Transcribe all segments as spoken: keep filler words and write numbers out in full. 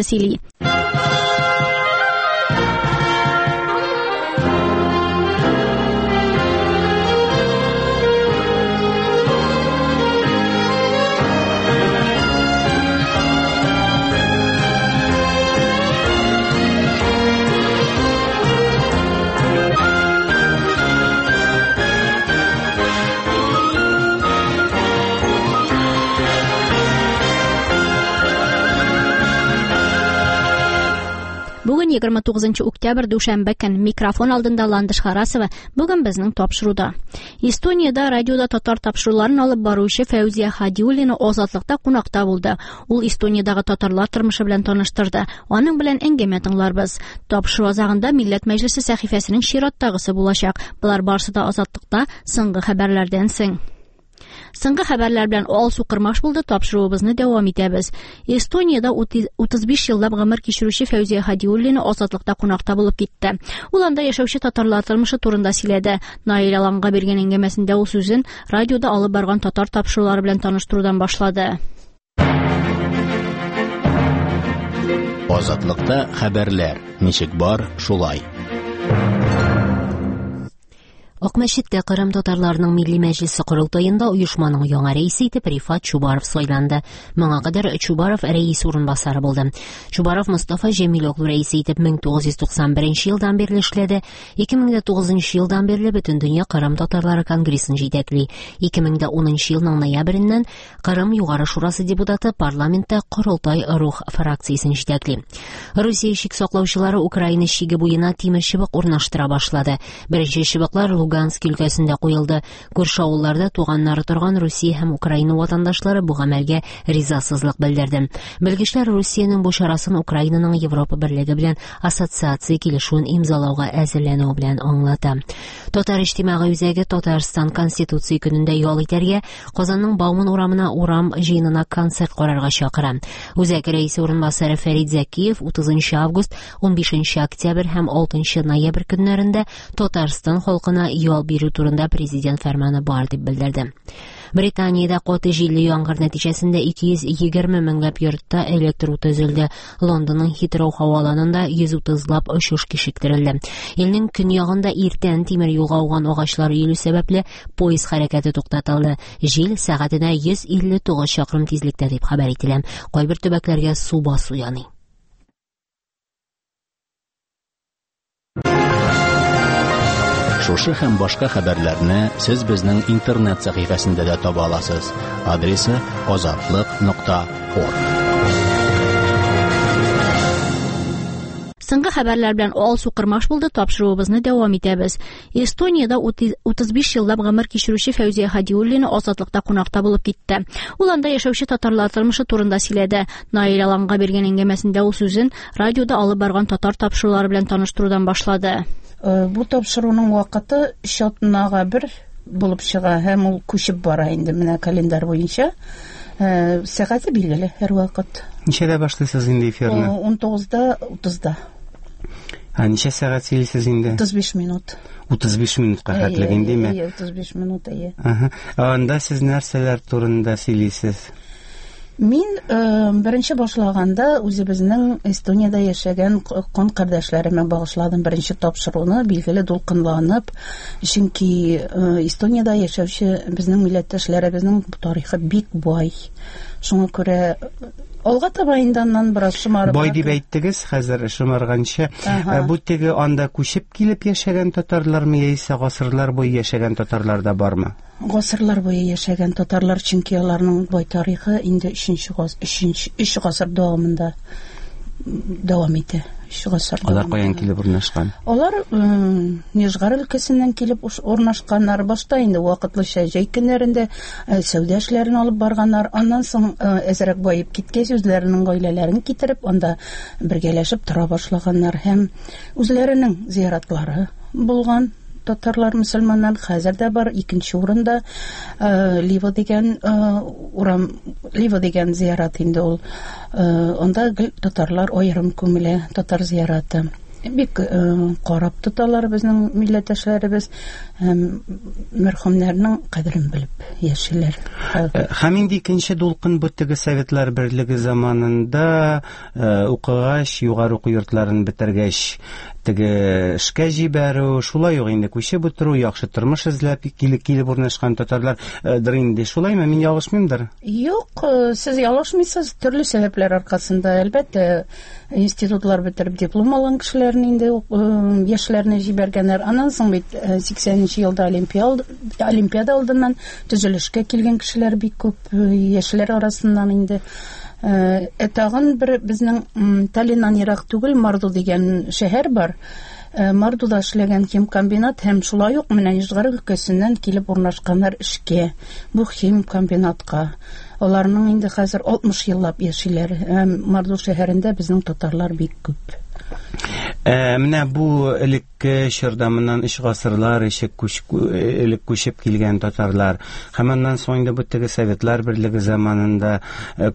Сөйли. Бүген егерме тугызынчы октябрь дүшәмбе көн. Микрофон алдында Ландыш Харасова. Бүген безнең тапшыруда. Эстониядә радиода татар тапшыруларын алып баручы Фәүзия Һадиуллина Азатлыкта кунакта булды. Ул Эстониядәге татарлар тормышы белән таныштырды. Аның белән әңгәмә тыңларбыз. Тапшыру азагында Милләт Мәҗлесе сәхифәсенең чираттагысы булачак. Болар барысы да Азатлыкта соңгы хәбәрләрдән соң. Соңгы хәбәрләр белән Алсу Кырмаш булды. Тапшыруыбызны дәвам итәбез. Эстониядә утыз биш еллап гомер кичерүче Фәүзия Һадиуллина Азатлыкта кунакта булып китте. Ул анда яшәүче татарлар тормышы турында сөйләде. Наил Аланга биргән әңгәмәсендә ул сүзен радиода алып барган татар тапшырулары белән таныштырудан башлады. Азатлыкта хәбәрләр ничек бар, шулай. Акмәчеттә Кырым татарларының милли мәҗлесе корылтаенда оешманың яңа рәисе итеп Рифат Чубаров сайланды. Моңа кадәр Чубаров рәис урынбасары булды. Чубаров Мостафа Җәмилоглу рәисе итеп мең тугыз йөз туксан беренче елдан бирле эшләде. Ике мең дә тугызынчы елдан бирле Бөтендөнья Кырым татарлары конгрессын җитәкли. Ике мең дә унынчы елның ноябреннән Кырым Югары Шурасы депутаты парламентта Корылтай Рух фракциясен җитәкли. Русия чик саклаучылары Украина чиге буена тимер чыбык урнаштыра башлады. Беренче чыбыклар Луганск өлкәсендә куелды. Күрше авылларда туганнары торган Русия һәм Украина ватандашлары бу гамәлгә ризасызлык белдерде. Белгечләр Русиянең бу чарасын Украинаның Европа берлеге белән ассоциация килешүен имзалауга әзерләнүе белән аңлата. Татар иҗтимагый үзәге Татарстан Конституция көнендә ял итәргә, Казанның Бауман урамына урам җыенына концерт карарга чакыра. Үзәк рәисе урынбасары Фәрид Зәкиев утызынчы август, унбишенче октябрь һәм алтынчы ноябрь көннәрендә Татарстан халкына ял бирү турында президент фәрманы бар дип белдерде. Британиядә каты җилле яңгыр нәтиҗәсендә ике йөз егерме меңләп йортта электр уты өзелде. Лондонның Хитроу һаваланында йөз утызлап очыш кичектерелде. Илнең көньягында иртән тимер юлга ауган агачлар өелү сәбәпле поезд хәрәкәте туктатылды. Җил сәгатенә йөз илле тугыз чакрым тизлектә дип хәбәр ителә. Кайбер төбәкләргә су басу яный. Шушы һәм башка хәбәрләрне сез безнең интернет сәхифәсендә дә таба аласыз. Адресы азатлык нокта орг. Соңгы хәбәрләр белән Алсу Кырмаш булды. Тапшыруыбызны дәвам итәбез. Эстониядә утыз биш еллап гомер кичерүче Фәүзия Һадиуллина Азатлыкта кунакта булып китте. Ул анда яшәүче татарлар тормышы турында сөйләде. Наил Аланга биргән әңгәмәсендә ул сүзен радиода алып барган татар тапшырулары белән таныштырудан башлады. Бу тапшыруның вакыты өч атнага бер булып чыга һәм ул күчеп бара инде менә календарь буенча. Сәгате билгеле һәр вакыт. Ничәдә башлыйсыз инде эфирны? Ун тугызда утызда. Ә ничә сәгать сөйлисез инде? Утыз биш минут. Утыз биш минутка хәтлек индеме? Әйе, утыз биш минут, әйе. Аһа. Анда сез нәрсәләр турында сөйлисез? Мин беренче башлаганда үзебезнең Эстониядә яшәгән кан кардәшләремә багышладым беренче тапшыруны, билгеле дулкынланып, чөнки Эстониядә яшәүче безнең милләттәшләребезнең тарихы бик бай. Шуңа күрә алга таба инде аннан бераз шомарып. Бай дип әйттегез, хәзер шомарганчы. Бу теге анда күчеп килеп яшәгән татарлармы яисә гасырлар буе яшәгән татарлар да бармы? Гасырлар буе яшәгән татарлар, чөнки аларның бай тарихы инде өченче гас-, өченче, өч гасыр дәвамында дәвам итә. Өч гасыр Алар дәвамында. каян килеп урнашкан? Алар, м, Нижгар өлкәсеннән килеп уш-, урнашканнар. Башта инде вакытлыча җәй көннәрендә, э, сәүдә эшләрен алып барганнар. Аннан соң, э, әзрәк баеп киткәч, үзләренең гаиләләрен китереп, анда бергәләшеп тора башлаганнар һәм үзләренең зияратлары булган. Татарлар, мөселманнар хәзер дә бар. Икенче урында, э, Ливо дигән, э, урам, Ливо дигән зиярат инде ул. Э, анда гел татарлар аерым күмелә, татар зияраты. Бик карап тоталар безнең милләттәшләребез, һәм мәрхүмнәрнең кадерен белеп яшиләр. Һәм инде икенче дулкын бу теге Советлар Берлеге заманында укыгач, югары уку йортларын бетергәч, теге эшкә җибәрү, шулай ук инде күчеп утыру, яхшы тормыш эзләп килеп килеп урнашкан татарлардыр инде. Шулаймы? Мин ялгышмыймдыр? Юк, сез ялгышмыйсыз. Төрле сәбәпләр аркасында, әлбәттә, институтлар бетереп диплом алган кешеләрне инде яшьләрне җибәргәннәр. Аннан соң бит сиксәненче елда Олимпиада алдыннан төзелешкә килгән кешеләр бик күп, яшьләр арасыннан инде. Ә тагын бер безнең Таллиннан ерак түгел Марду дигән шәһәр бар. Мардуда эшләгән химкомбинат һәм шулай ук менә Нижгар өлкәсеннән килеп урнашканнар эшкә, бу химкомбинатка. Аларның инде хәзер алтмыш еллап яшиләр. Һәм Марду шәһәрендә безнең татарлар бик күп. Ә, менә бу элекке чорда моннан өч гасырлар эчек күч, элек күчеп килгән татарлар һәм аннан соң инде бу теге Советлар Берлеге заманында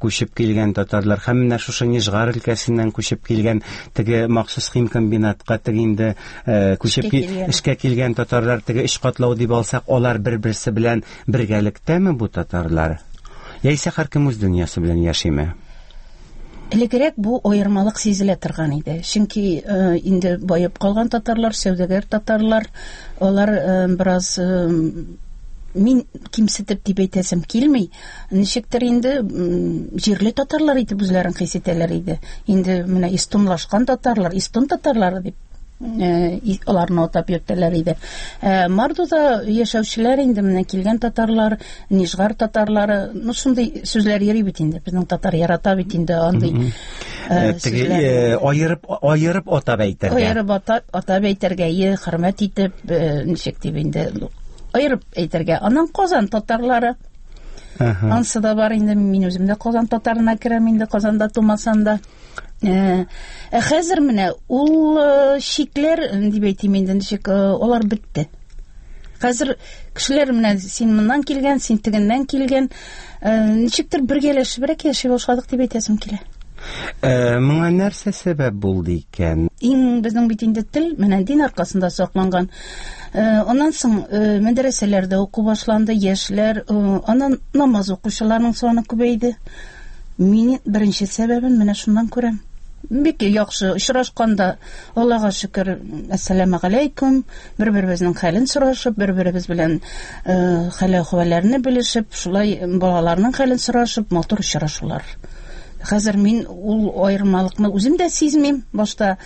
күчеп килгән татарлар һәм менә шушы Нижгар өлкәсеннән күчеп килгән теге махсус химкомбинатка теге инде күчеп эшкә килгән татарлар, теге өч катлау дип алсак, алар бер-берсе белән бергәлектәме бу татарлар? Яисә һәркем үз дөньясы белән яшиме? Элегрәк бу аермалык сизелә торган иде. Чөнки инде баеп калган татарлар, сәүдәгәр татарлар, алар бераз мин кимсетеп дип әйтәсем килми, ничектер инде җирле татарлар итеп үзләрен хис итәләр иде. Инде менә эстонлашкан татарлар, эстон татарлары дип аларны атап йөртәләр иде. Мардуда яшәүчеләр инде менә килгән татарлар, Нижгар татарлары, ну шундый сүзләр йөри бит инде. Безнең татар ярата бит инде андый сүзләр. Аерып аерып атап әйтергә. Аерып атап, атап әйтергә, хөрмәт итеп, ничек дип инде аерып әйтергә. Аннан Казан татарлары. Ансы да бар инде, мин үзем дә Казан татарына керәм инде, Казанда тумасам да. Ә хәзер менә ул шикләр дип әйтим инде, ничек алар бетте. Хәзер кешеләр менә син моннан килгән, син тегеннән килгән, ничектер бергәләшебрәк яши башладык дип әйтәсем килә. Моңа нәрсә сәбәп булды икән? Иң безнең бит инде тел менә дин аркасында сакланган. Аннан соң мәдрәсәләрдә уку башланды, яшьләр, аннан намаз укучыларның саны күбәйде. Мин беренче сәбәбен менә шуннан күрәм. Бик яхшы очрашканда, Аллага шөкер, әссәламу алейкум, бер-беребезнең хәлен сорашып, бер-беребез белән хәл-әхвәлләрне белешеп, шулай балаларның хәлен сорашып, матур очрашулар. Хәзер мин ул аермалыкны үзем дә сизмим. Башта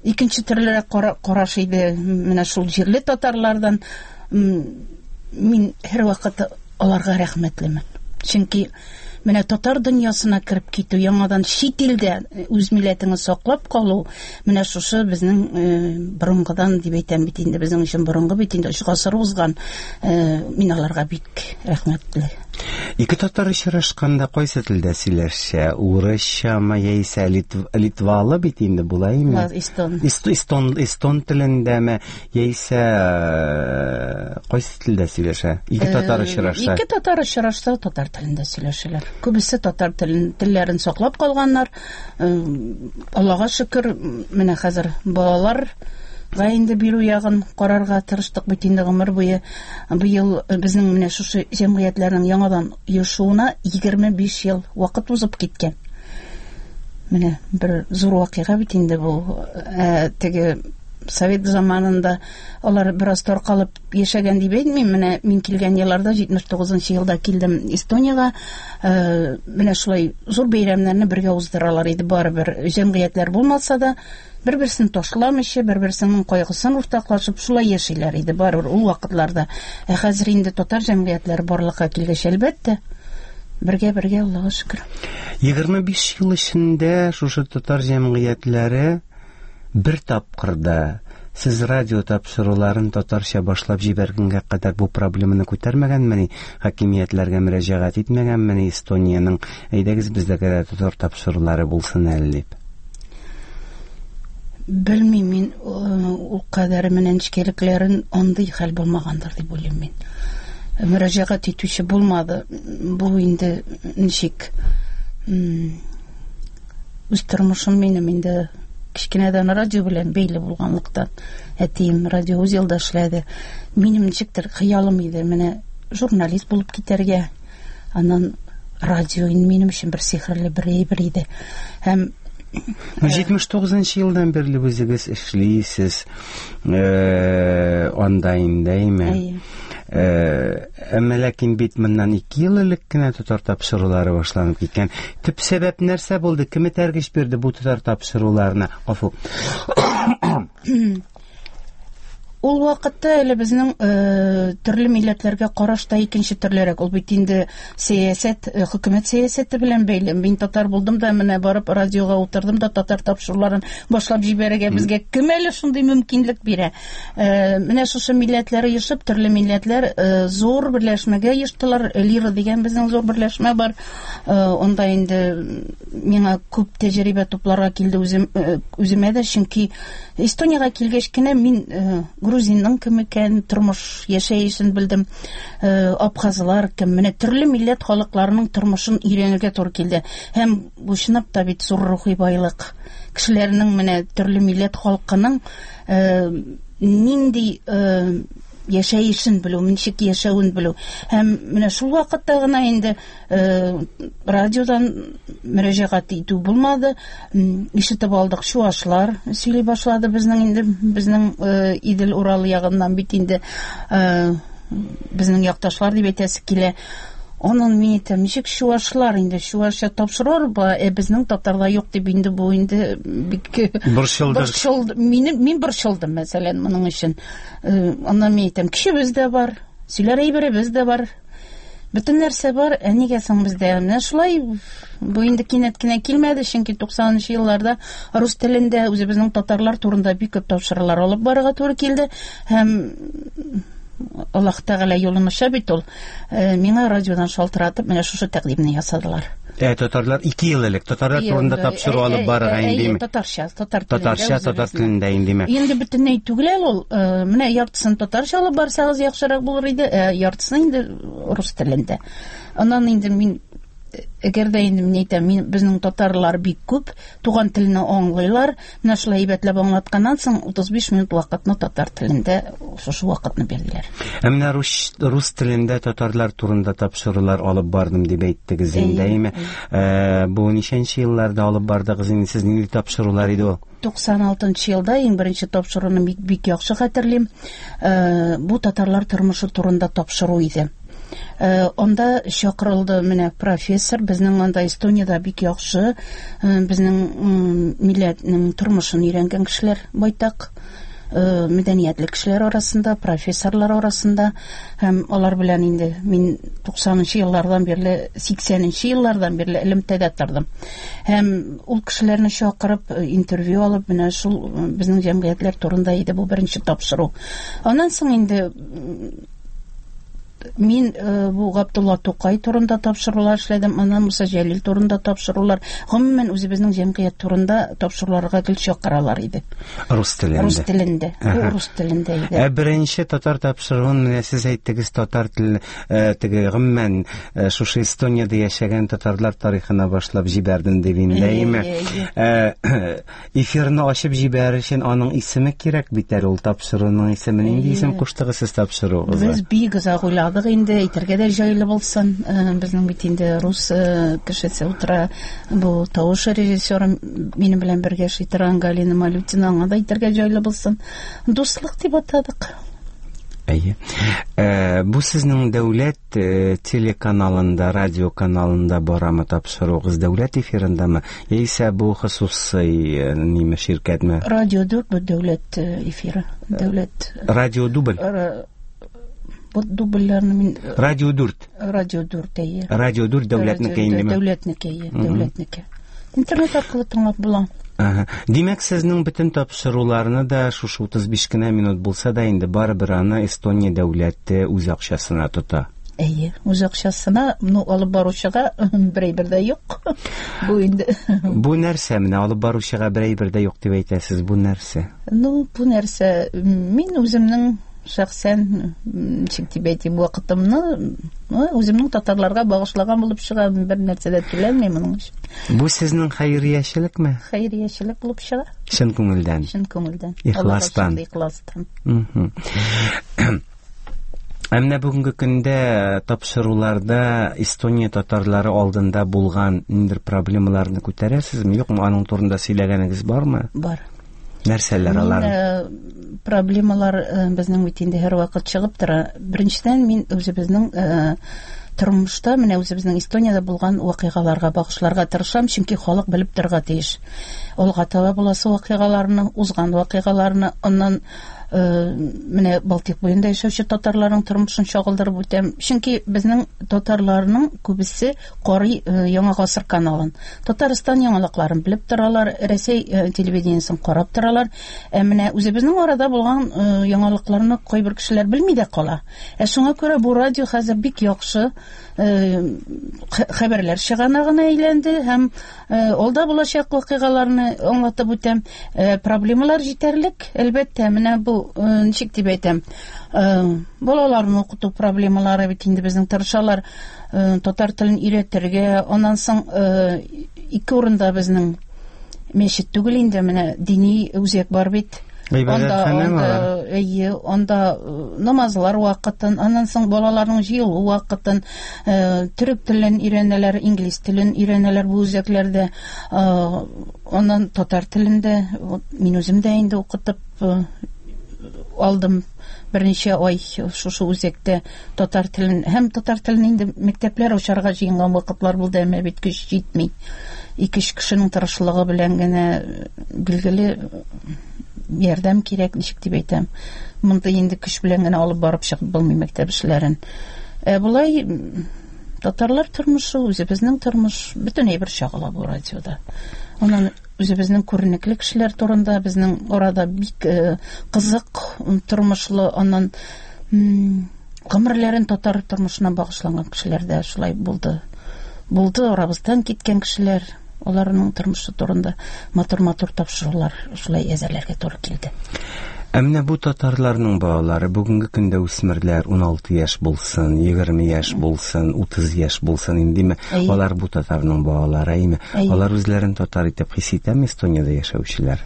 икенче төрлерәк караш иде менә шул җирле татарлардан. Мин һәрвакыт аларга рәхмәтлемен. Чөнки менә татар дөньясына кереп китү, яңадан чит илдә үз милләтеңне саклап калу, менә шушы безнең борынгыдан дип әйтәм бит инде, безнең өчен борынгы бит инде, өч гасыр узган. Мин аларга бик рәхмәтле. Ике татар очрашканда кайсы телдә сөйләшә? Урысчамы яисә литвалы бит инде булаймы? Эстон. Эстон, эстон телендәме яисә кайсы телдә сөйләшә? Ике татар очрашса. Ике татар очрашса татар телендә сөйләшәләр. Күбесе татар телен, телләрен саклап калганнар. Аллага шөкер, менә хәзер балалар га инде бирү ягын карарга тырыштык бит инде гомер буе. Быел безнең менә шушы җәмгыятьләрнең яңадан оешуына егерме биш ел вакыт узып киткән. Менә бер зур вакыйга бит инде бу. Ә, теге совет заманында алар бераз таркалып яшәгән дип әйтмим. Менә мин килгән елларда, җитмеш тугызынчы елда килдем Эстониягә. Менә шулай зур бәйрәмнәрне бергә уздыралар иде. Барыбер җәмгыятьләр булмаса да, бер-берсен ташламыйча, бер-берсенең кайгысын уртаклашып шулай яшиләр иде барыбер ул вакытларда. Ә хәзер инде татар җәмгыятьләре барлыкка килгәч, әлбәттә, бергә-бергә, Аллага шөкер. Егерме биш ел эчендә шушы татар җәмгыятьләре бер тапкырда сез радио тапшыруларын татарча башлап җибәргәнгә кадәр бу проблеманы күтәрмәгәнмени, хакимиятләргә мөрәҗәгать итмәгәнмени Эстониянең, әйдәгез бездә дә татар тапшырулары булсын әле дип? Белмим мин, ул кадәр менә нечкәлекләрен андый хәл булмагандыр дип уйлыйм мин. Мөрәҗәгать итүче булмады. Бу инде ничек үз тормышым минем инде Кечкенәдән радио белән бәйле булганлыктан, әтием радиоузелда эшләде. Минем ничектер хыялым иде, менә журналист булып китәргә. Аннан радио минем өчен бер сихерле бер әйбер иде. Һәм җитмеш тугызынчы елдан бирле үзегез эшлисез, э, анда инде, әйме? Әйе. Э, әмма ләкин бит моннан ике ел элек кенә татар тапшырулары башланып киткән. Төп сәбәп нәрсә булды? Кем этәргеч бирде бу татар тапшыруларына? Гафу. Ул вакытта әле безнең, э, төрле милләтләргә караш та икенче төрлерәк. Ул бит инде сәясәт, э, хөкүмәт сәясәте белән бәйле. Мин татар булдым да, менә барып радиога утырдым да татар тапшыруларын башлап җибәрергә безгә кем әле шундый мөмкинлек бирә? Э, менә шушы милләтләр оешып, төрле милләтләр, э, зур берләшмәгә оештылар. Лира дигән безнең зур берләшмә бар. Э, онда инде миңа күп тәҗрибә тупларга килде үзем, э, үземә дә, чөнки Эстониягә килгәч кенә мин, э, грузинның кем икән, тормыш яшәешен белдем, э, абхазлар кем, менә төрле милләт халыкларының тормышын өйрәнергә туры килде. Һәм бу чынлап та бит зур рухи байлык. Кешеләрнең менә төрле милләт халкының, э, нинди, э, яшәешен белү, ничек яшәвен белү. Һәм менә шул вакытта гына инде, э, радиодан мөрәҗәгать итү булмады. М, ишетеп алдык, чуашлар сөйли башлады безнең инде, безнең, э, Идел Урал ягыннан бит инде, э, безнең якташлар дип әйтәсе килә. Аннан мин әйтәм, ничек чуашлар инде, чуашча тапшырыр ба, э, безнең татарда юк дип инде бу инде бик Борчылдык. Борчылды. Минем, мин борчылдым, мәсәлән, моның өчен. Э, аннан мин әйтәм, кешебез дә бар, сөйләр әйберебез дә бар. Бөтен нәрсә бар, ә нигә соң бездә? Менә шулай бу инде кинәт кенә килмәде, чөнки туксанынчы елларда рус телендә үзебезнең татарлар турында бик күп тапшырулар алып барырга туры килде. Һәм Аллаһ Тәгалә юлын ача бит ул. Э, миңа радиодан шалтыратып, менә шушы тәкъдимне ясадылар. Э, татарлар ике ел элек татарлар Ел, турында э, тапшыру э, алып э, барырга э, индеме? Әйе, татарча, татар телендә Татарча, татар үзебезнең. телендә индеме? Инде бөтенләй түгел әле ул. Э, менә яртысын татарча алып барсагыз яхшырак булыр иде, э, яртысын инде рус телендә. Аннан инде мин, әгәр дә инде мин әйтәм, мин, безнең татарлар бик күп, туган телне аңлыйлар. Менә шулай әйбәтләп аңлатканнан соң утыз биш минут вакытны татар телендә шушы вакытны бирделәр. Ә менә рус, рус телендә татарлар турында тапшырулар алып бардым дип әйттегез инде, Әйе, әйеме? әйе. Э, бу ничәнче елларда алып бардыгыз инде, сез нинди тапшырулар иде ул? Туксан алтынчы елда иң беренче тапшыруны бик, бик яхшы хәтерлим. Э, бу татарлар тормышы турында тапшыру иде. Э, анда чакырылды менә профессор, безнең анда Эстониядә бик яхшы, э, безнең, м, милләтнең тормышын өйрәнгән кешеләр байтак, э, мәдәниятле кешеләр арасында, профессорлар арасында, һәм алар белән инде мин туксанынчы еллардан бирле, сиксәненче еллардан бирле элемтәдә тордым. Һәм ул кешеләрне чакырып, э, интервью алып, менә шул, э, безнең җәмгыятьләр турында иде бу беренче тапшыру. Аннан соң инде, м, мин, э, бу Габдулла Тукай турында тапшырулар эшләдем, аннан Муса Җәлил турында тапшырулар, гомумән үзебезнең җәмгыять турында тапшыруларга гел чакыралар иде. Рус телендә. Рус телендә. Бу Аһа. рус телендә иде. Ә беренче татар тапшыруын менә сез әйттегез, татар теле, э, теге гомумән, э, шушы Эстониядә яшәгән татарлар тарихына башлап җибәрдем дип инде, Әйе, әйеме? әйе, Э, эфирны ачып җибәрер өчен аның исеме кирәк бит әле, ул тапшыруның исеме. Нинди исем Әйе. куштыгыз сез тапшыруыгызга? Без бик озак уйладык инде, әйтергә дә җайлы булсын. Э, безнең бит инде рус, э, кешесе утыра, бу тавыш режиссеры минем белән бергә эшли торган Галина Малютина, аңа да әйтергә җайлы булсын. Дуслык дип атадык. Әйе. Э, бу сезнең дәүләт, э, телеканалында, радио каналында барамы тапшыруыгыз, дәүләт эфирындамы, яисә бу хосусый, э, ниме ширкәтме? Радио дүрт бу дәүләт, э, эфиры. Дәүләт. Радио дубль. Ра-, бу дубльләрне мин, э, Радио дүрт. Радио дүрт, әйе. Радио дүрт дәүләтнеке Радио индеме? Дәүләтнеке, әйе, Мгм. дәүләтнеке. Интернет аркылы тыңлап була. Ага. Димәк, сезнең бөтен тапшыруларны да шушы утыз биш кенә минут булса да инде барыбер аны Эстония дәүләте үз акчасына тота. Әйе, үз акчасына, ну, алып баручыга бер әйбер дә юк. Бу инде Бу нәрсә менә алып баручыга бер әйбер дә юк дип әйтәсез, бу нәрсә? Ну, бу нәрсә, мин үземнең Шәхсән, ничек дип әйтим, вакытымны үземнең татарларга багышлаган булып чыга, бер нәрсә дә түләнми моның өчен. Бу сезнең хәйриячелекме? Хәйриячелек булып чыга. Чын күңелдән. Чын күңелдән. Ихластан. Ихластан. Ә менә бүгенге көндә тапшыруларда Эстония татарлары алдында булган ниндидер проблемаларны күтәрәсезме, юкмы? Аның турында сөйләгәнегез бармы? Бар. Нәрсәләр алар? Проблемалар безнең бит инде һәрвакыт чыгып тора. Беренчедән, мин үзебезнең тормышта, менә үзебезнең Эстониядә булган вакыйгаларга багышларга тырышам, чөнки халык белеп торырга тиеш. Алга таба буласы вакыйгаларны, узган вакыйгаларны, аннан менә Балтыйк буенда яшәүче татарларның тормышын чагылдырып үтәм. Чөнки безнең татарларның күбесе карый Яңа Гасыр каналын. Татарстан яңалыкларын белеп торалар, Рәсәй телевидениесен карап торалар. Ә менә үзебезнең арада булган яңалыкларны кайбер кешеләр белми дә кала. Ә шуңа күрә бу радио хәзер бик яхшы хәбәрләр чыганагына әйләнде һәм алда булачак вакыйгаларны аңлатып үтәм. Проблемалар җитәрлек, әлбәттә, менә бу ничек дип әйтәм, балаларны укыту проблемалары бит инде безнең тырышалар татар телен өйрәтергә. Аннан соң ике урында безнең мәчет түгел инде, менә дини үзәк бар бит. Анда, анда, әйе, анда намазлар вакытын, аннан соң балаларның җыелу вакытын, төрек телен өйрәнәләр, инглиз телен өйрәнәләр бу үзәкләрдә, аннан татар телендә мин үзем дә инде укытып алдым берничә ай шушы үзәктә татар телен. Һәм татар телен инде мәктәпләр ачарга җыенган вакытлар булды, әмма бит көч җитми. Ике-өч кешенең тырышлыгы белән генә билгеле ярдәм кирәк, ничек дип әйтәм. Монда инде көч белән генә алып барып чыгып булмый мәктәп эшләрен. Ә болай татарлар тормышы, үзебезнең тормыш бөтен әйбер чагыла бу радиода. Аннан үзебезнең күренекле кешеләр турында, безнең арада бик кызык тормышлы, аннан гомерләрен татар тормышына багышланган кешеләр дә шулай булды. Булды арабыздан киткән кешеләр, аларның тормышы турында матур-матур тапшырулар шулай әзерләргә туры килде. Ә менә бу татарларның балалары бүгенге көндә үсмерләр ун алты яшь булсын, егерме яшь булсын, утыз яшь булсын индеме? Алар бу татарның балалары, әйме? Алар үзләрен татар итеп хис итәме Эстониядә яшәүчеләр?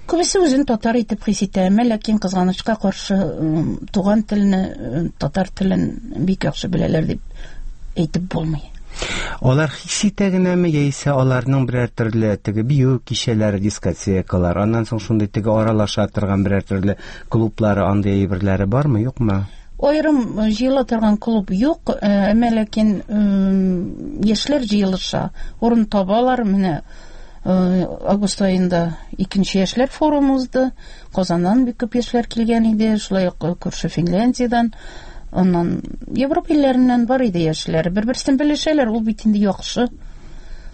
Күбесе үзен татар итеп хис итә, әмма ләкин кызганычка каршы туган телне, татар телен бик яхшы беләләр дип әйтеп булмый. Алар хис итә генәме, яисә аларның берәр төрле теге бию кичәләре, дискотекалар, аннан соң шундый теге аралаша торган берәр төрле клублары, андый әйберләре бармы, юкмы? Аерым җыела торган клуб юк, әмма ләкин яшьләр җыелыша, урын табалар. Менә август аенда икенче яшьләр форумы узды. Казаннан бик күп яшьләр килгән иде, шулай ук күрше Финляндиядән, аннан Европа илләреннән бар иде яшьләр. Бер-берсен белешәләр, ул бит инде яхшы.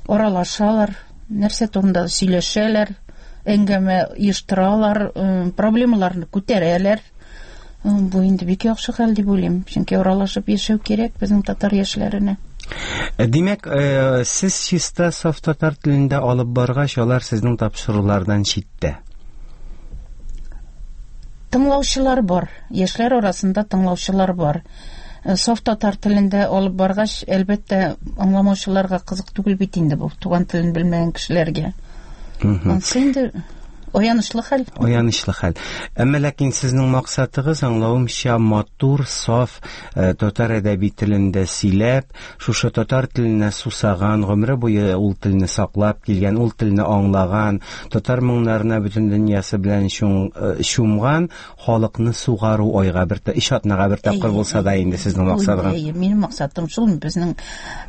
Аралашалар, нәрсә турында сөйләшәләр, әңгәмә оештыралар, проблемаларны күтәрәләр. Бу инде бик яхшы хәл дип уйлыйм, чөнки аралашып яшәү кирәк безнең татар яшьләренә. Димәк, сез чиста саф татар телендә алып баргач, алар сезнең тапшырулардан читтә. Тыңлаучылар бар, яшьләр арасында тыңлаучылар бар. Саф татар телендә алып баргач, әлбәттә, аңламаучыларга кызык түгел бит инде бу, туган телен белмәгән кешеләргә. Ансы инде аянычлы хәл. Аянычлы хәл. Әмма ләкин сезнең максатыгыз, аңлавымча, матур, саф татар әдәби телендә сөйләп, шушы татар теленә сусаган, гомере буе ул телне саклап килгән, ул телне аңлаган, татар моңнарына бөтен дөньясы белән чумган халыкны сугару айга бер, өч атнага бер тапкыр булса да инде сезнең максатыгыз. Әйе, минем максатым шул. Безнең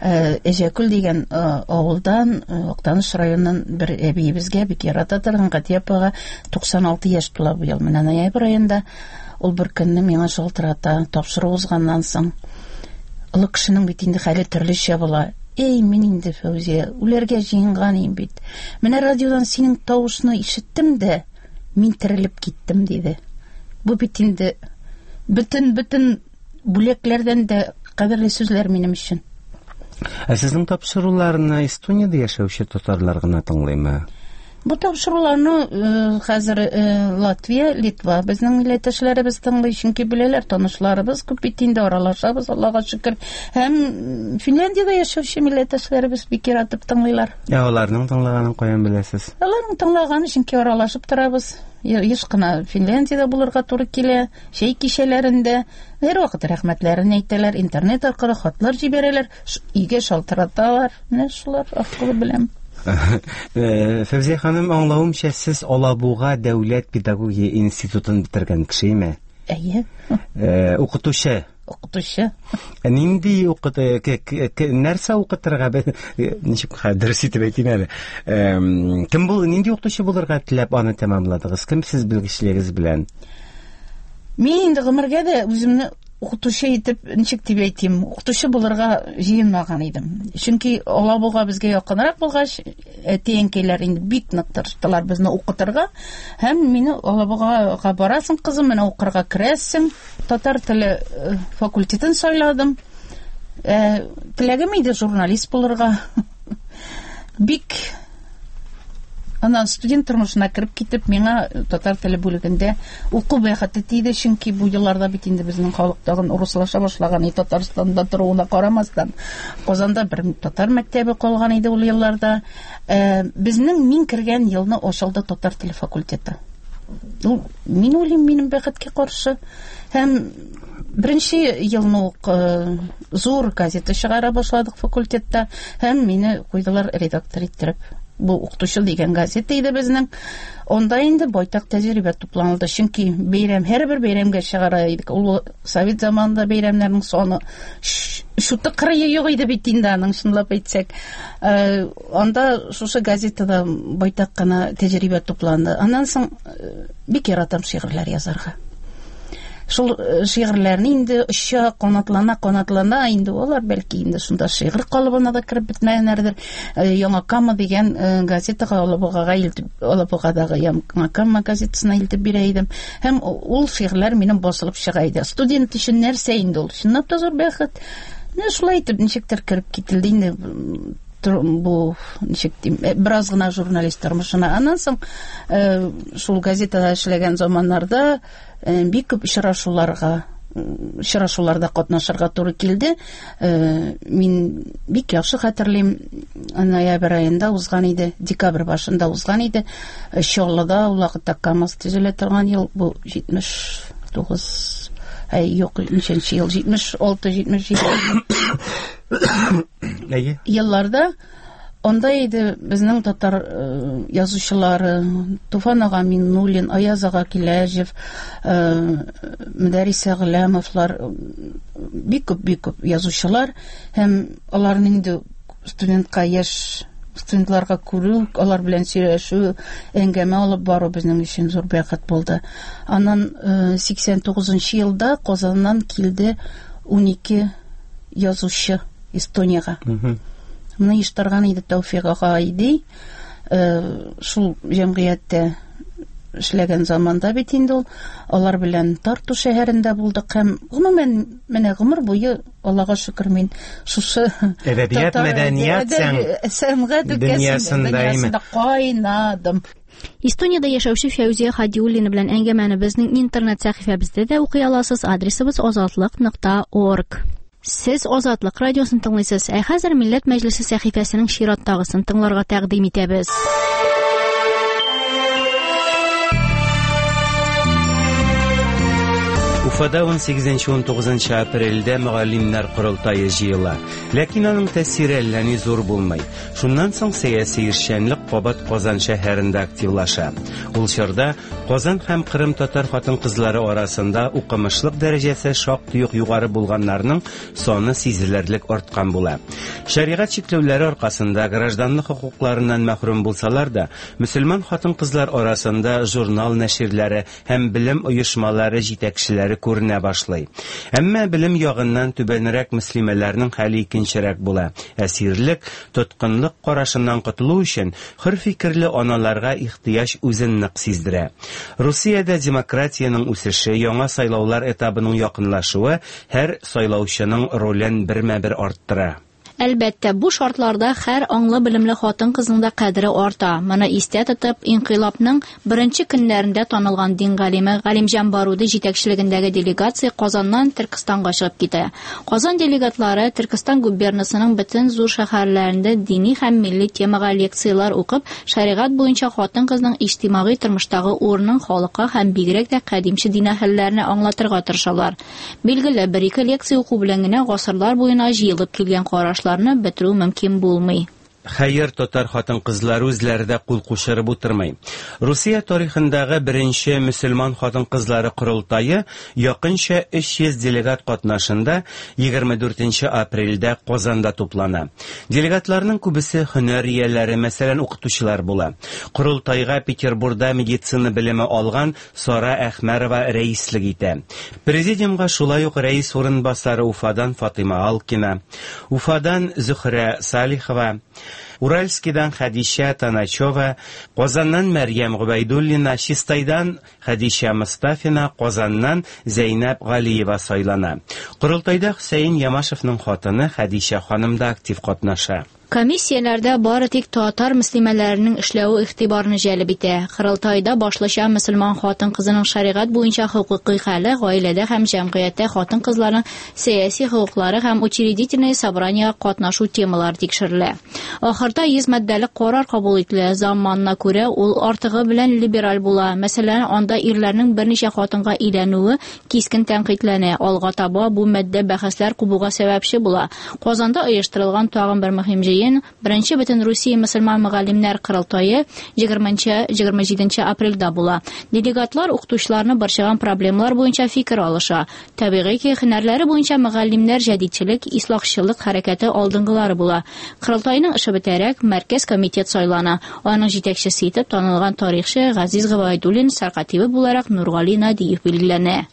Әҗәкүл дигән авылдан, Актаныш районыннан бер әбиебезгә бик ярата торган Катия апага туксан алты яшь тула быел. Менә ноябрь аенда ул бер көнне миңа шалтырата, тапшыру узганнан соң. Олы кешенең бит инде хәле төрлечә була. Эй, мин инде, Фәүзия, үләргә җыенган идем бит. Менә радиодан синең тавышны ишеттем дә, мин терелеп киттем, диде. Бу бит инде бөтен-бөтен бүләкләрдән дә кадерле сүзләр минем өчен. Ә сезнең тапшыруларны Эстониядә яшәүче татарлар гына тыңлыймы? Бу тапшыруларны хәзер Латвия, Литва безнең милләттәшләребез тыңлый, чөнки беләләр, танышларыбыз күп бит инде, аралашабыз, Аллага шөкер. Һәм Финляндиядә яшәүче милләттәшләребез бик яратып тыңлыйлар. Ә аларның тыңлаганын каян беләсез? Аларның тыңлаганы, чөнки аралашып торабыз. Еш кына Финляндиядә булырга туры килә, чәй кичәләрендә һәрвакыт рәхмәтләрен әйтәләр, интернет аркылы хатлар җибәрәләр, өйгә шалтыраталар. Менә шулар аркылы беләм. Фәүзия ханым, аңлавымча, сез Алабуга дәүләт педагогия институтын бетергән кешеме? Әйе. Укытучы. Укытучы. Нинди укыт, нәрсә укытырга, ничек дөрес итеп әйтим әле? Кем бул, нинди укытучы булырга теләп аны тәмамладыгыз? Кем сез белгечлегегез белән? Мин инде гомергә дә үземне укытучы итеп, ничек дип әйтим, укытучы булырга җыенмаган идем. Чөнки Алабуга безгә якынрак булгач, әти-әнкәйләр инде бик нык тырыштылар безне укытырга. Һәм мине Алабугага барасың, кызым, менә укырга керәсең. Татар теле факультетын сайладым. Ә, теләгем иде журналист булырга. Бик аннан студент тормышына кереп китеп, миңа татар теле бүлегендә уку бәхете тиде, чөнки бу елларда бит инде безнең халык тагын урыслаша башлаган, и Татарстанда торуына карамастан, Казанда бер татар мәктәбе калган иде ул елларда. Ә, безнең мин кергән елны ачылды татар теле факультеты. Ул, мин уйлыйм, минем бәхеткә каршы. Һәм беренче елны ук зур газета чыгара башладык факультетта, һәм мине куйдылар редактор иттереп. Бу укытучы дигән газета иде безнең. Онда инде байтак тәҗрибә тупланылды, чөнки бәйрәм, һәрбер бәйрәмгә чыгара идек. Ул совет заманында бәйрәмнәрнең саны шуты кырые юк иде бит инде аның, чынлап әйтсәк. Анда шушы газетада байтак кына тәҗрибә тупланды. Аннан соң бик яратам шигырьләр язарга. Шул шигырьләрне инде оча, канатлана, канатлана инде алар бәлки инде шунда шигырь калыбына да кереп бетмәгәннәрдер. Яңа Кама дигән газетага Алабугага илтеп, Алабугадагы Яңа Кама газетасына илтеп бирә идем. Һәм ул шигырьләр минем басылып чыга иде. Студент өчен нәрсә инде ул? Чынлап та зур бәхет. Менә шулай итеп ничектер кереп кителде инде бу, ничек дим, бераз гына журналист тормышына. Аннан соң шул газетада эшләгән заманнарда бик күп очрашуларга, очрашуларда катнашырга туры килде. Мин бик яхшы хәтерлим, ноябрь аенда узган иде, декабрь башында узган иде. Чаллыда ул вакытта КАМАЗ төзелә торган ел, бу җитмеш тугыз, әй, юк, ничәнче ел, җитмеш алты, җитмеш җиде елларда. Анда иде безнең татар язучылары Туфан ага Миннуллин, Аяз ага Киләҗев, Мөдәррис Әгъләмовлар, бик күп, бик күп язучылар. Һәм аларны инде студентка, яшь студентларга күрү, алар белән сөйләшү, әңгәмә алып бару безнең өчен зур бәхет булды. Аннан сиксән тугызынчы елда Казаннан килде унике язучы Эстониягә. Моны оештырган иде Тәүфик ага Айди. Шул җәмгыятьтә эшләгән заманда бит инде ул. Алар белән Тарту шәһәрендә булдык һәм гомумән менә гомер буе Аллага шөкер мин шушы әдәбият, мәдәният, сәнгать дөньясында кайнадым. Эстониядә яшәүче Фәүзия Хадиуллина белән әңгәмәне безнең интернет сәхифәбездә дә укый аласыз. Адресыбыз азатлык нокта орг. Сез Азатлык радиосын тыңлыйсыз. Ә хәзер Милләт Мәҗлесе сәхифәсенең чираттагысын тыңларга тәкъдим итәбез. Уфада ун сигезенче ун тугызынчы апрельдә мөгаллимнәр корылтае җыела. Ләкин аның тәэсире әллә ни зур булмый. Шуннан соң сәяси эшчәнлек кабат Казан шәһәрендә активлаша. Ул чорда Казан һәм Кырым татар хатын-кызлары арасында укымышлык дәрәҗәсе шактый ук югары булганнарның саны сизелерлек арткан була. Шәригать чикләүләре аркасында гражданлык хокукларыннан мәхрүм булсалар да, мөселман хатын-кызлар арасында журнал нәширләре һәм белем оешмалары җитәкчеләре күренә башлый. Әмма белем ягыннан түбәнрәк мөслимәләрнең хәле икенчерәк була. Әсирлек, тоткынлык карашыннан котылу өчен хөр фикерле аналарга ихтыяҗ үзен нык сиздерә. Русиядә демократиянең үсеше, яңа сайлаулар этабының якынлашуы һәр сайлаучының ролен бермә-бер арттыра. Әлбәттә, бу шартларда һәр аңлы белемле хатын-кызның да кадере арта. Моны истә тотып, инкыйлабның беренче көннәрендә танылган дин галиме Галимҗан Баруди җитәкчелегендәге делегация Казаннан Төркестанга чыгып китә. Казан делегатлары Төркестан губернасының бөтен зур шәһәрләрендә дини һәм милли темага лекцияләр укып, шәригать буенча хатын-кызның иҗтимагый тормыштагы урынын халыкка һәм бигрәк тә кадимче дин әһелләренә аңлатырга тырышалар. Билгеле, бер-ике лекция уку белән генә гасырлар буена җыелып килгән карашларны бетерү мөмкин булмый. Хәер, татар хатын-кызлары үзләре дә кул кушырып утырмый. Русия тарихындагы беренче мөселман хатын-кызлары корылтае якынча өч йөз делегат катнашында егерме дүртенче апрельдә Казанда туплана. Делегатларның күбесе һөнәр ияләре, мәсәлән, укытучылар була. Корылтайга Петербургда медицина белеме алган Сара Әхмәрова рәислек итә. Президиумга шулай ук рәис урынбасары Уфадан Фатыйма Алкина, Уфадан Зөхрә Салихова, Уральскидан Хәдичә Таначева, Казаннан Мәрьям Гобәйдуллина, Чистайдан Хәдичә Мостафина, Казаннан Зәйнәб Галиева сайлана. Корылтайда Хөсәен Ямашевның хатыны Хәдичә ханым да актив катнаша. Комиссияләрдә бары тик татар мөслимәләренең эшләве игътибарны җәлеп итә. Корылтайда башлыча мөселман хатын-кызының шәригать буенча хокукый хәле, гаиләдә һәм җәмгыятьтә хатын-кызларның сәяси хокуклары һәм учредительное собраниега катнашу темалары тикшерелә. Ахырда йөз маддәлек карар кабул ителә. Заманына күрә ул артыгы белән либераль була. Мәсәлән, анда ирләрнең берничә хатынга өйләнүе кискен тәнкыйтьләнә. Алга таба бу маддә бәхәсләр кубуга сәбәпче була. Казанда оештырылган тагын бер мөһим җыен Беренче бөтен Русия мөселман мөгаллимнәр корылтае егерменче егерме җиденче апрельдә була. Делегатлар укытучыларны борчыган проблемалар буенча фикер алыша. Табигый ки, һөнәрләре буенча мөгаллимнәр җәдидчелек, ислахчылык хәрәкәте алдынгылары була. Корылтайның эше бетәрәк мәркәз комитет сайлана. Аның җитәкчесе итеп танылган тарихчы Газиз Гобәйдуллин, сәркатибе буларак Нургали Надиев билгеләнә.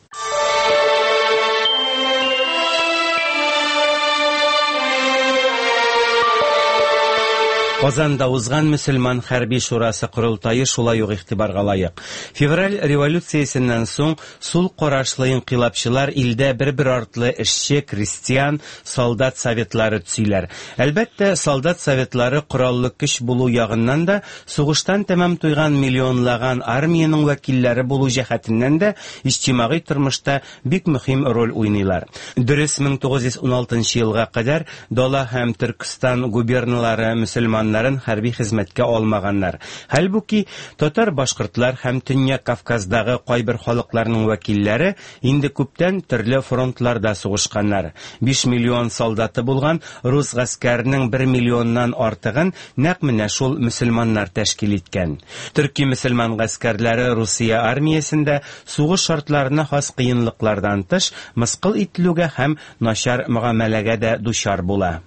Казанда узган мөселман хәрби шурасы корылтае шулай ук игътибарга лаек. Февраль революциясеннән соң сул карашлы инкыйлабчылар илдә бер-бер артлы эшче, крестьян, солдат советлары төзиләр. Әлбәттә, солдат советлары кораллы көч булу ягыннан да, сугыштан тәмам туйган миллионлаган армиянең вәкилләре булу җәһәтеннән дә иҗтимагый тормышта бик мөһим роль уйныйлар. Дөрес, мең тугыз йөз уналтынчы елга кадәр Дала һәм Төркестан губерналары мөселман хәрби хезмәткә алмаганнар. Хәлбуки, татар, башкортлар һәм Төньяк Кавказдагы кайбер халыкларның вәкилләре инде күптән төрле фронтларда сугышканнар. Биш миллион солдаты булган рус гаскәренең бер миллионнан артыгын нәкъ менә шул мөселманнар тәшкил иткән. Төрки мөселман гаскәрләре Русия армиясендә сугыш шартларына хас кыенлыклардан тыш мыскыл ителүгә һәм начар мөгамәләгә дә дучар була.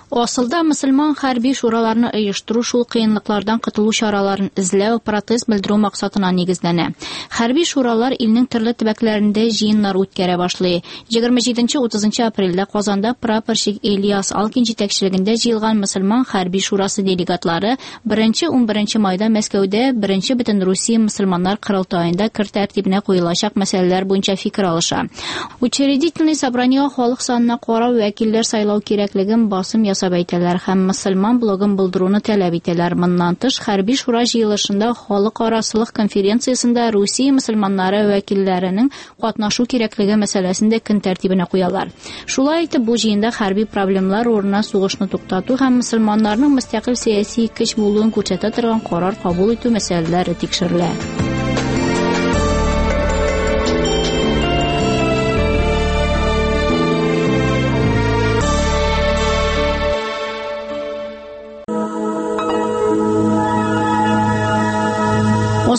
Асылда мөселман хәрби шураларны оештыру шул кыенлыклардан котылу чараларын эзләү, протест белдерү максатына нигезләнә. Хәрби шуралар илнең төрле төбәкләрендә җыеннар үткәрә башлый. Егерме җиденче утызынчы апрельдә Казанда прапорщик Ильяс Алкин җитәкчелегендә җыелган мөселман хәрби шурасы делегатлары беренче унберенче майда Мәскәүдә беренче бөтен Русия мөселманнар корылтаенда кер тәртибенә куелачак мәсьәләләр буенча фикер алыша. Учредительный собраниега халык санына карау вәкилләр сайлау кирәклеген басым ясап әйтәләр һәм мөселман блогын булдыруны таләп итәләр. Моннан тыш, хәрби шура җыелышында халыкара сылык конференциясендә Русия мөселманнары вәкилләренең катнашу кирәклеге мәсьәләсен дә көн тәртибенә куялар. Шулай итеп, бу җыенда хәрби проблемалар урынына сугышны туктату һәм мөселманнарның мөстәкыйль сәяси көч булуын күрсәтә торган карар кабул итү мәсьәләләре тикшерелә.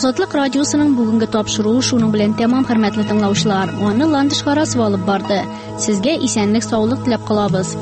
Азатлык радиосының бүгенге тапшыруы шуның белән тәмам, хөрмәтле тыңлаучылар. Аны Ландыш Харасова алып барды. Сезгә исәнлек, саулык теләп калабыз.